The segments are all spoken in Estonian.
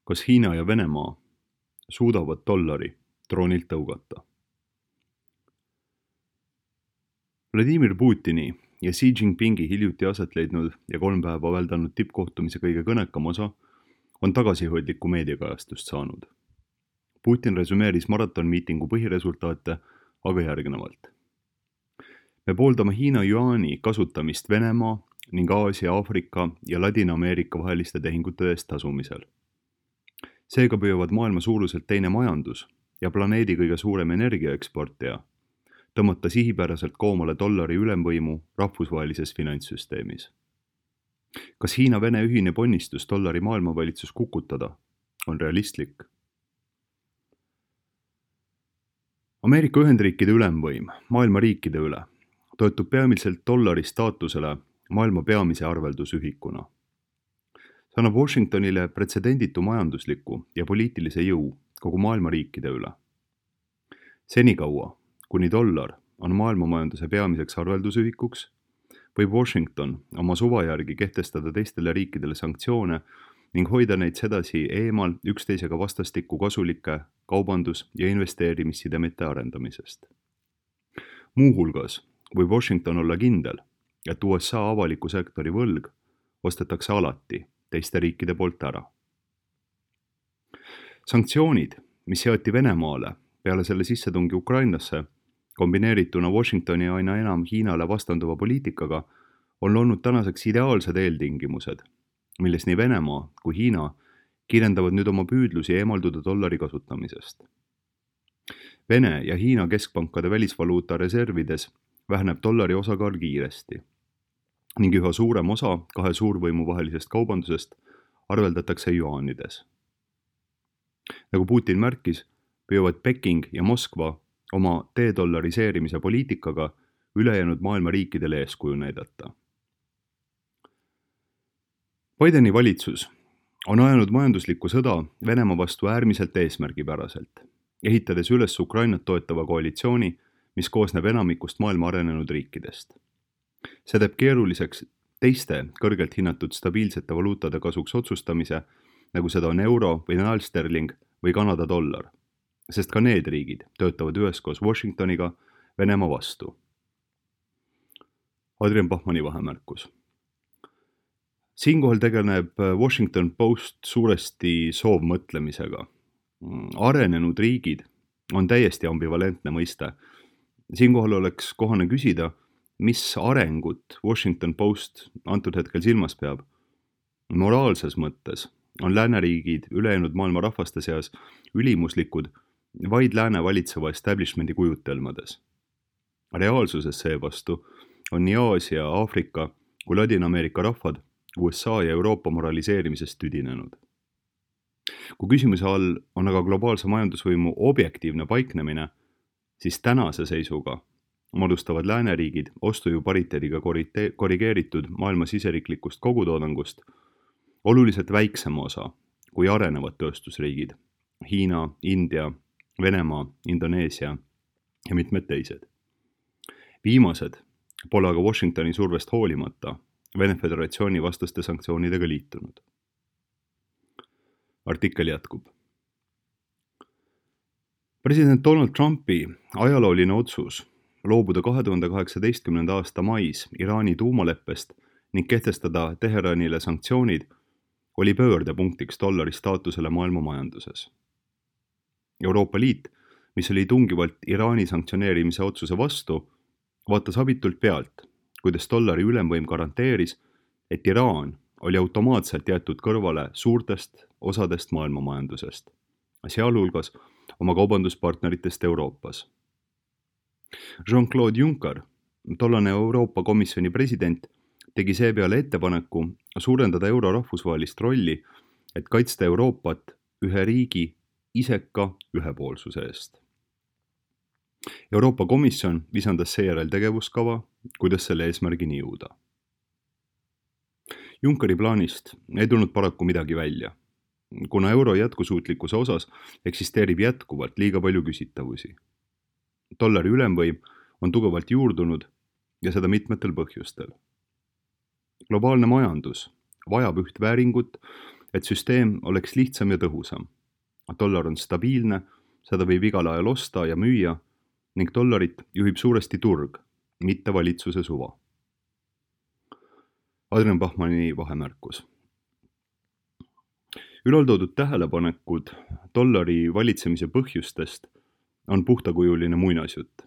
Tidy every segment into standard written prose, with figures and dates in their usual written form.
Kas Hiina ja Venemaa suudavad dollari troonilt tõugata? Vladimir Putini ja Xi Jinpingi hiljuti aset leidnud ja 3 päeva väldanud tippkohtumise kõige kõnekam osa on tagasihoidlikku meediakajastust saanud. Putin resümeeris maratonmiitingu põhiresultaate aga järgnevalt. Me pooldame Hiina juaani kasutamist Venemaa ning Aasia, Aafrika ja Ladina-Ameerika vaheliste tehingute eest tasumisel. Seega püüavad maailma suuruselt teine majandus ja planeedi kõige suurem energiaeksportija tõmmata sihipäraselt koomale dollari ülemvõimu rahvusvahelises finantssüsteemis. Kas Hiina-Vene ühine ponnistus dollari maailmavalitsus kukutada on realistlik? Ameerika Ühendriikide ülemvõim maailma riikide üle toetub peamiselt dollari staatusele maailma peamise arveldusühikuna. See annab Washingtonile pretsedenditu majandusliku ja poliitilise jõu kogu maailma riikide üle. Senikaua, kuni dollar on maailmamajanduse peamiseks arveldusühikuks, võib Washington oma suva järgi kehtestada teistele riikidele sanktsioone ning hoida neid sedasi eemal üksteisega vastastikku kasulike kaubandus- ja investeerimissidemete arendamisest. Muuhulgas võib Washington olla kindel, et USA avaliku sektori võlg ostetakse alati teiste riikide poolt ära. Sanktsioonid, mis seati Venemaale peale selle sissetungi Ukrainasse, kombineerituna Washingtoni aina enam Hiinale vastanduva poliitikaga, on loonud tänaseks ideaalsed eeltingimused, milles nii Venemaa kui Hiina kiirendavad nüüd oma püüdlusi eemalduda dollari kasutamisest. Vene ja Hiina keskpankade välisvaluuta reservides väheneb dollari osakaal kiiresti ning üha suurem osa kahe suurvõimu vahelisest kaubandusest arveldatakse juaanides. Nagu Putin märkis, püüavad Peking ja Moskva oma dedollariseerimise poliitikaga ülejäänud maailma riikidele eeskuju näidata. Bideni valitsus on ajanud majanduslikku sõda Venemaa vastu äärmiselt eesmärgipäraselt, ehitades üles Ukrainat toetava koalitsiooni, mis koosneb enamikust maailma arenenud riikidest. See teeb keeruliseks teiste kõrgelt hinnatud stabiilsete valuutade kasuks otsustamise, nagu seda on euro või näälsterling või Kanada dollar, sest ka need riigid töötavad üheskoos Washingtoniga Venemaa vastu. Adrian Bachmanni vahemärkus. Siinkohal tegeleb Washington Post suuresti soovmõtlemisega. Arenenud riigid on täiesti ambivalentne mõiste. Siinkohal oleks kohane küsida, mis arengut Washington Post antud hetkel silmas peab. Moraalses mõttes on lääneriigid ülejäänud maailma rahvaste seas ülimuslikud vaid lääne valitseva establishmendi kujutelmades. Reaalsuses seevastu on nii Aasia, Aafrika kui Ladina-Ameerika rahvad USA ja Euroopa moraliseerimisest tüdinenud. Kui küsimuse all on aga globaalse majandusvõimu objektiivne paiknemine, siis tänase seisuga moodustavad lääneriigid ostujõu pariteediga korrigeeritud maailma siseriiklikust kogutoodangust oluliselt väiksema osa kui arenevad tööstusriigid Hiina, India, Venemaa, Indoneesia ja mitmed teised. Viimased pole aga Washingtoni survest hoolimata Vene Föderatsiooni vastaste sanktsioonidega liitunud. Artikkel jätkub. President Donald Trumpi ajalooline otsus loobuda 2018. aasta mais Iraani tuumaleppest ning kehtestada Teheranile sanktsioonid oli pöördepunktiks dollari staatusele maailma majanduses. Euroopa Liit, mis oli tungivalt Iraani sanktsioneerimise otsuse vastu, vaatas abitult pealt, kuidas dollari ülemvõim garanteeris, et Iraan oli automaatselt jäetud kõrvale suurtest osadest maailma majandusest, sealhulgas oma kaubanduspartneritest Euroopas. Jean-Claude Juncker, tollane Euroopa Komisjoni president, tegi seepeale ettepaneku suurendada euro rahvusvahelist rolli, et kaitsta Euroopat ühe riigi iseka ühepoolsuse eest. Euroopa Komisjon visandas seejärel tegevuskava, kuidas selle eesmärgini jõuda. Junckeri plaanist ei tulnud paraku midagi välja, kuna euro jätkusuutlikkuse osas eksisteerib jätkuvalt liiga palju küsitavusi. Dollari ülemvõim on tugevalt juurdunud ja seda mitmetel põhjustel. Globaalne majandus vajab üht vääringut et süsteem oleks lihtsam ja tõhusam. Dollar on stabiilne, seda võib igal ajal osta ja müüa ning dollarit juhib suuresti turg, mitte valitsuse suva. Adrian Bachmanni vahemärkus. Ülaltoodud tähelepanekud dollari valitsemise põhjustest on puhtakujuline muinasjutt,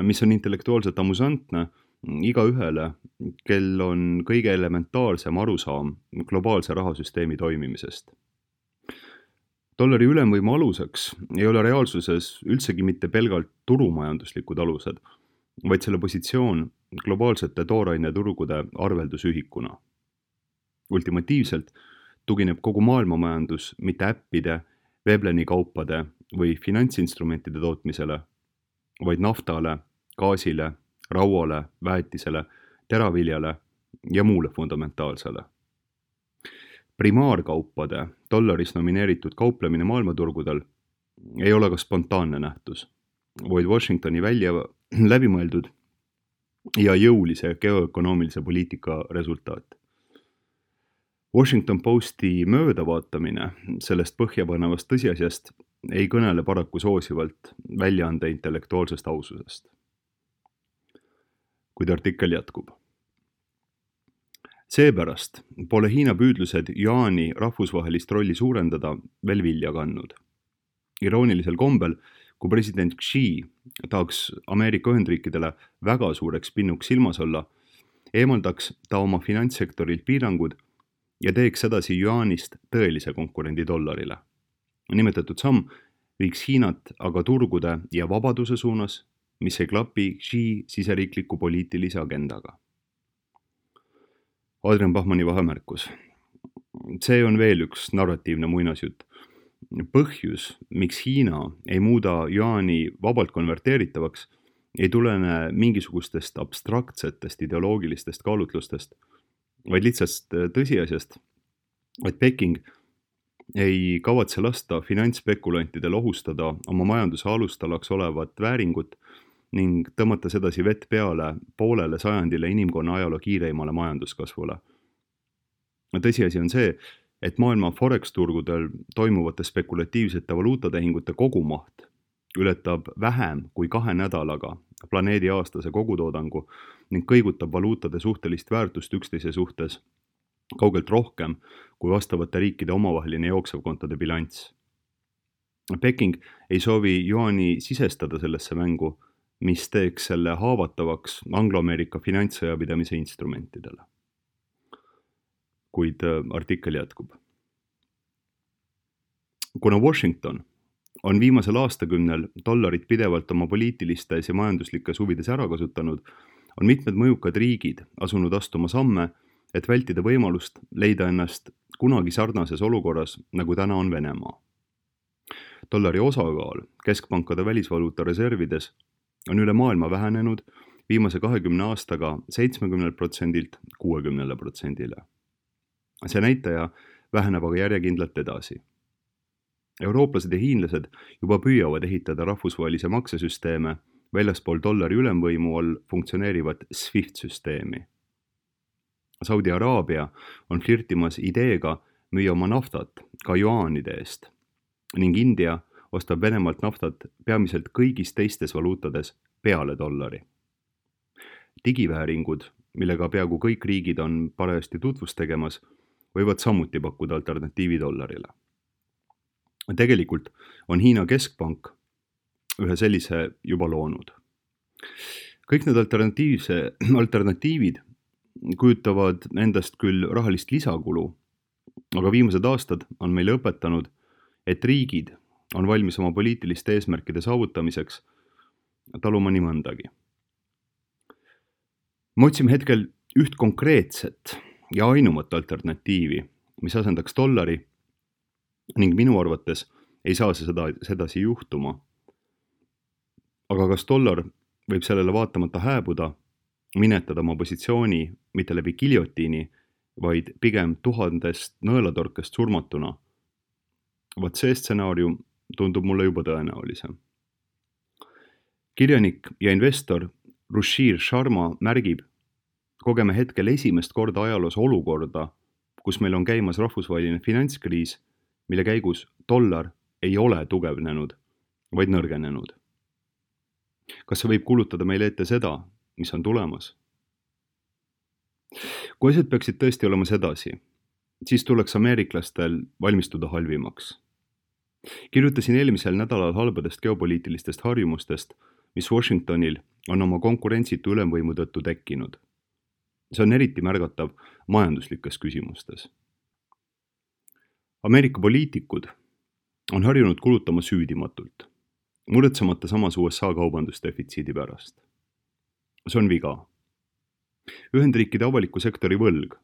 mis on intellektuaalselt amusantne igaühele, kel on kõige elementaarsem arusaam globaalse rahasüsteemi toimimisest. Dollari ülemvõimu aluseks ei ole reaalsuses üldsegi mitte pelgalt turumajanduslikud alused, vaid selle positsioon globaalsete tooraineturgude arveldusühikuna. Ultimatiivselt tugineb kogu maailmamajandus mitte äppide, Vebleni kaupade või finantsinstrumentide tootmisele, vaid naftale, gaasile, rauale, väetisele, teraviljale ja muule fundamentaalsele. Primaarkaupade dollaris nomineeritud kauplemine maailmaturgudel ei ole ka spontaanne nähtus, vaid Washingtoni läbimõeldud ja jõulise geoökonoomilise poliitika resultaat. Washington Posti möödavaatamine sellest põhjapanevast tõsiasjast ei kõnele paraku soosivalt väljaande intellektuaalsest aususest. Kuid artikkel jätkub. Seepärast pole Hiina püüdlused Yuani rahvusvahelist rolli suurendada veel vilja kandnud. Iroonilisel kombel, kui president Xi tahaks Ameerika Ühendriikidele väga suureks pinnuks silmas olla, eemaldaks ta oma finantssektorilt piirangud ja teeks edasi Yuanist tõelise konkurendi dollarile. Nimetatud samm viiks Hiinat aga turgude ja vabaduse suunas, mis ei klapi Xi siseriikliku poliitilise agendaga. Adrian Bachmanni vahemärkus. See on veel üks narratiivne muinasjutt. Põhjus, miks Hiina ei muuda Yuani vabalt konverteeritavaks, ei tulene mingisugustest abstraktsetest ideoloogilistest kaalutlustest, vaid lihtsalt tõsiasjast, et Peking ei kavatse lasta finantsspekulantidel ohustada oma majanduse alustalaks olevat vääringut ning tõmmata sedasi vett peale poolele sajandile inimkonna ajaloo kiireimale majanduskasvule. Tõsiasi on see, et maailma forex-turgudel toimuvate spekulatiivsete valuutatehingute kogumaht ületab vähem kui 2 nädalaga planeedi aastase kogutoodangu ning kõigutab valuutade suhtelist väärtust üksteise suhtes kaugelt rohkem kui vastavate riikide omavaheline jooksevkontode bilanss. Peking ei soovi Yuani sisestada sellesse mängu, mis teeks selle haavatavaks Anglo-Ameerika finantssõjapidamise instrumentidele. Kuid artikkel jätkub. Kuna Washington on viimasel aastakümnel dollarit pidevalt oma poliitilistes ja majanduslikes huvides ära kasutanud, on mitmed mõjukad riigid asunud astuma samme, et vältida võimalust leida ennast kunagi sarnases olukorras, nagu täna on Venemaa. Dollari osakaal keskpankade välisvaluuta reservides on üle maailma vähenenud viimase 20 aastaga 70%-lt 60%-le. See näitaja väheneb aga järjekindlalt edasi. Eurooplased ja hiinlased juba püüavad ehitada rahvusvahelise maksesüsteeme väljaspool dollari ülemvõimu all funktsioneerivat SWIFT-süsteemi. Saudi Araabia on flirtimas ideega müüa oma naftat ka juaanide eest ning India ostab Venemaalt naftat peamiselt kõigis teistes valuutades peale dollari. Digivääringud, millega peaaegu kõik riigid on parajasti tutvust tegemas, võivad samuti pakkuda alternatiivi dollarile. Tegelikult on Hiina keskpank ühe sellise juba loonud. Kõik need alternatiivid kujutavad endast küll rahalist lisakulu, aga viimased aastad on meile õpetanud, et riigid on valmis oma poliitiliste eesmärkide saavutamiseks taluma nii mõndagi. Me otsime hetkel üht konkreetset ja ainumat alternatiivi, mis asendaks dollari ning minu arvates ei saa see sedasi juhtuma. Aga kas dollar võib sellele vaatamata hääbuda, minetada oma positsiooni mitte läbi giljotiini, vaid pigem 1000 nõelatorkest surmatuna? Vaat see stsenaarium tundub mulle juba tõenäolisem. Kirjanik ja investor Ruchir Sharma märgib, kogeme hetkel esimest korda ajaloos olukorda, kus meil on käimas rahvusvaheline finantskriis, mille käigus dollar ei ole tugevnenud, vaid nõrgenenud. Kas see võib kuulutada meile ette seda, mis on tulemas? Kui asjad peaksid tõesti olema sedasi, siis tuleks ameeriklastel valmistuda halvimaks. Kirjutasin eelmisel nädalal halbadest geopoliitilistest harjumustest, mis Washingtonil on oma konkurentsitu ülemvõimu tõttu tekkinud. See on eriti märgatav majanduslikes küsimustes. Ameerika poliitikud on harjunud kulutama süüdimatult, muretsemata samas USA kaubandusdefitsiidi pärast. See on viga. Ühendriikide avaliku sektori võlg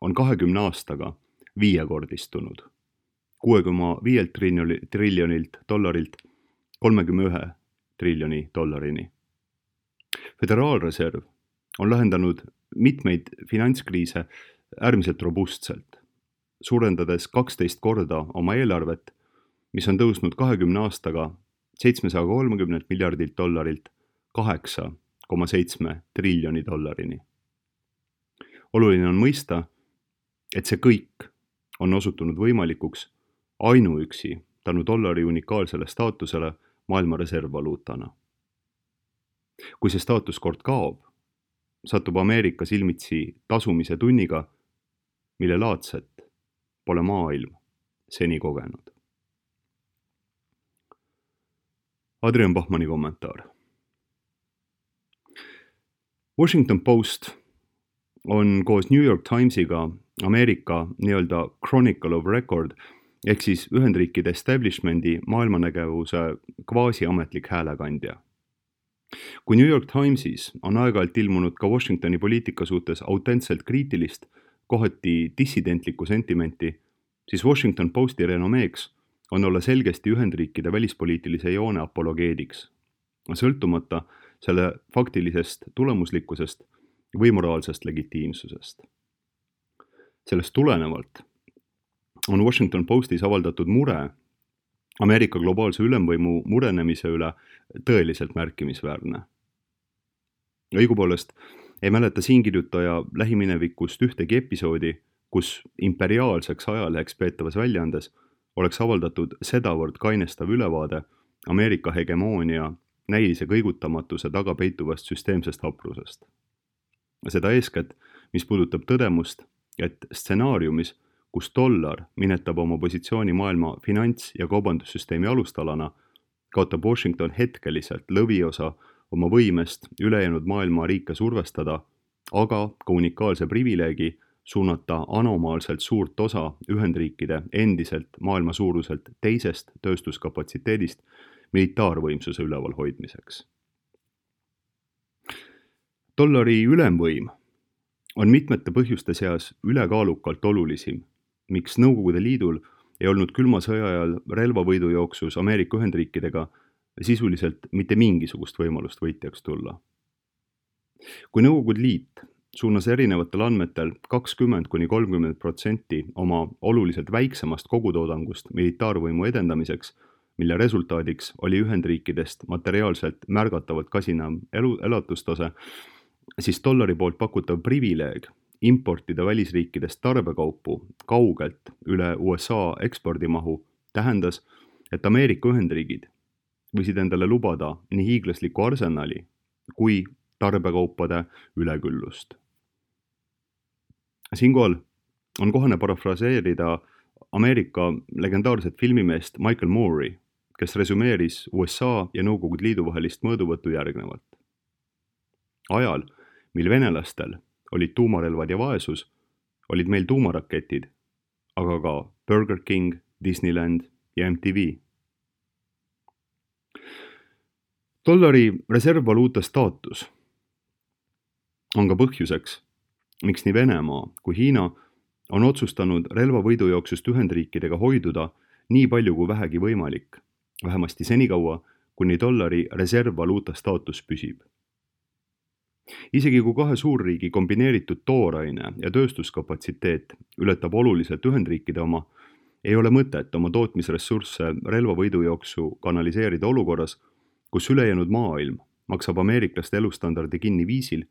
on 20 aastaga viiekordistunud, 6,5 triljonilt dollarilt 31 triljoni dollarini. Föderaalreserv on lahendanud mitmeid finantskriise äärmiselt robustselt, suurendades 12 korda oma eelarvet, mis on tõusnud 20 aastaga 730 miljardilt dollarilt 8,7 triljoni dollarini. Oluline on mõista, et see kõik on osutunud võimalikuks ainuüksi tänu dollari unikaalsele staatusele maailma reservvaluutana. Kui see staatus kord kaob, satub Ameerika silmitsi tasumise tunniga, mille laadset pole maailm seni kogenud. Adrian Bachmanni kommentaar. Washington Post on koos New York Timesiga Ameerika nii-öelda Chronicle of Record ehk siis Ühendriikide establishmendi maailmanägevuse kvaasiametlik häälekandja. Kui New York Timesis on aeg-ajalt ilmunud ka Washingtoni poliitika suhtes autentselt kriitilist, kohati dissidentlikku sentimenti, siis Washington Posti renomeeks on olla selgesti Ühendriikide välispoliitilise joone apologeediks, sõltumata selle faktilisest tulemuslikkusest või moraalsest legitiimsusest. Sellest tulenevalt on Washington Postis avaldatud mure Ameerika globaalse ülemvõimu murenemise üle tõeliselt märkimisväärne. Õigupoolest ei mäleta siinkirjutaja lähiminevikust ühtegi episoodi, kus imperiaalseks ajaleheks peetavas väljaandes oleks avaldatud sedavõrd kainestav ülevaade Ameerika hegemoonia näilise kõigutamatuse taga peituvast süsteemsest haprusest. Seda eeskätt, mis puudutab tõdemust, et stsenaariumis, kus dollar minetab oma positsiooni maailma finants- ja kaubandussüsteemi alustalana, kaotab Washington hetkeliselt lõviosa oma võimest ülejäänud maailma riike survestada, aga ka unikaalse privileegi suunata anomaalselt suurt osa Ühendriikide endiselt maailma suuruselt teisest tööstuskapatsiteedist militaarvõimsuse ülevalhoidmiseks. Dollari ülemvõim on mitmete põhjuste seas ülekaalukalt olulisim, miks Nõukogude Liidul ei olnud külma sõja ajal relvavõidujooksus Ameerika Ühendriikidega sisuliselt mitte mingisugust võimalust võitjaks tulla. Kui Nõukogude Liit suunas erinevatel andmetel 20–30% oma oluliselt väiksemast kogutoodangust militaarvõimu edendamiseks, mille resultaadiks oli Ühendriikidest materiaalselt märgatavalt kasinam elatustase, siis dollari poolt pakutav privileeg importida välisriikidest tarbekaupu kaugelt üle USA ekspordimahu tähendas, et Ameerika Ühendriigid võisid endale lubada nii hiiglasliku arsenali kui tarbekaupade üleküllust. Siinkohal on kohane parafraseerida Ameerika legendaarset filmimeest Michael Moore'i, kes resümeeris USA ja Nõukogude Liidu vahelist mõõduvõttu järgnevalt. Ajal, mil venelastel olid tuumarelvad ja vaesus, olid meil tuumaraketid, aga ka Burger King, Disneyland ja MTV. Dollari reservvaluuta staatus on ka põhjuseks, miks nii Venemaa kui Hiina on otsustanud relvavõidujooksust Ühendriikidega hoiduda nii palju kui vähegi võimalik, vähemasti senikaua, kuni dollari reservvaluuta staatus püsib. Isegi kui kahe suurriigi kombineeritud tooraine ja tööstuskapatsiteet ületab oluliselt Ühendriikide oma, ei ole mõtet oma tootmisressursse relvavõidujooksu kanaliseerida olukorras, kus ülejäänud maailm maksab ameeriklaste elustandardi kinni viisil,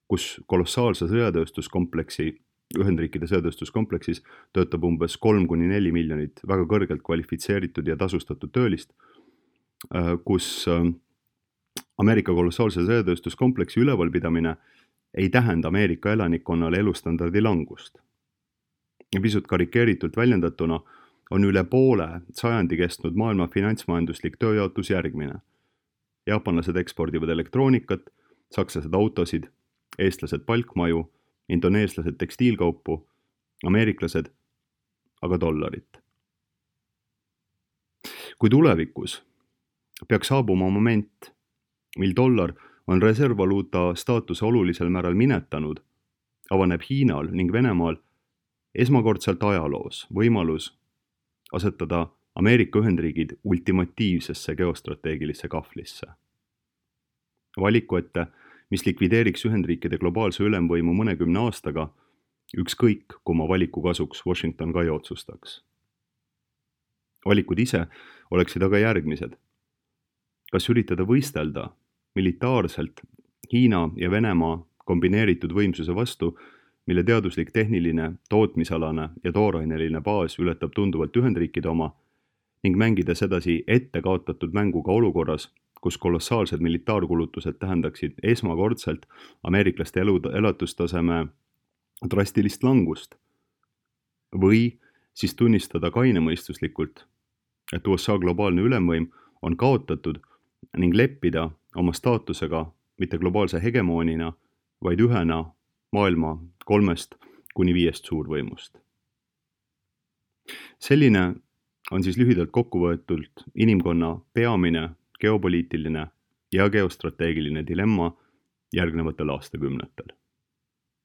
kus kolossaalse sõjatööstuskompleksi Ühendriikide sõjatööstuskompleksis töötab umbes 3-4 miljonit väga kõrgelt kvalifitseeritud ja tasustatud töölist, kus Ameerika kolossaalse sõjatööstuskompleksi ülevalpidamine ei tähenda Ameerika elanikkonnale elustandardi langust. Ja pisut karikeeritult väljendatuna on üle poole sajandi kestnud maailma finantsmajanduslik tööjaotus järgmine. Jaapanlased ekspordivad elektroonikat, sakslased autosid, eestlased palkmaju, indoneeslased tekstiilkaupu, ameeriklased aga dollarit. Kui tulevikus peaks saabuma moment, mil dollar on reservvaluuta staatuse olulisel määral minetanud, avaneb Hiinal ning Venemaal esmakordselt ajaloos võimalus asetada Ameerika Ühendriigid ultimatiivsesse geostrateegilisse kahvlisse. Valiku ette, mis likvideeriks Ühendriikide globaalse ülemvõimu mõnekümne aastaga, ükskõik kumma valiku kasuks Washington ka ei otsustaks. Valikud ise oleksid aga järgmised. Kas üritada võistelda militaarselt Hiina ja Venemaa kombineeritud võimsuse vastu, mille teaduslik, tehniline, tootmisalane ja tooraineline baas ületab tunduvalt Ühendriikide oma, ning mängida sedasi ette kaotatud mänguga olukorras, kus kolossaalsed militaarkulutused tähendaksid esmakordselt ameeriklaste elatustaseme drastilist langust, või siis tunnistada kainemõistuslikult, et USA globaalne ülemvõim on kaotatud ning leppida oma staatusega mitte globaalse hegemoonina, vaid ühena maailma 3-5 suurvõimust. Selline on siis lühidalt kokkuvõetult inimkonna peamine geopoliitiline ja geostrateegiline dilemma järgnevatel aastakümnetel.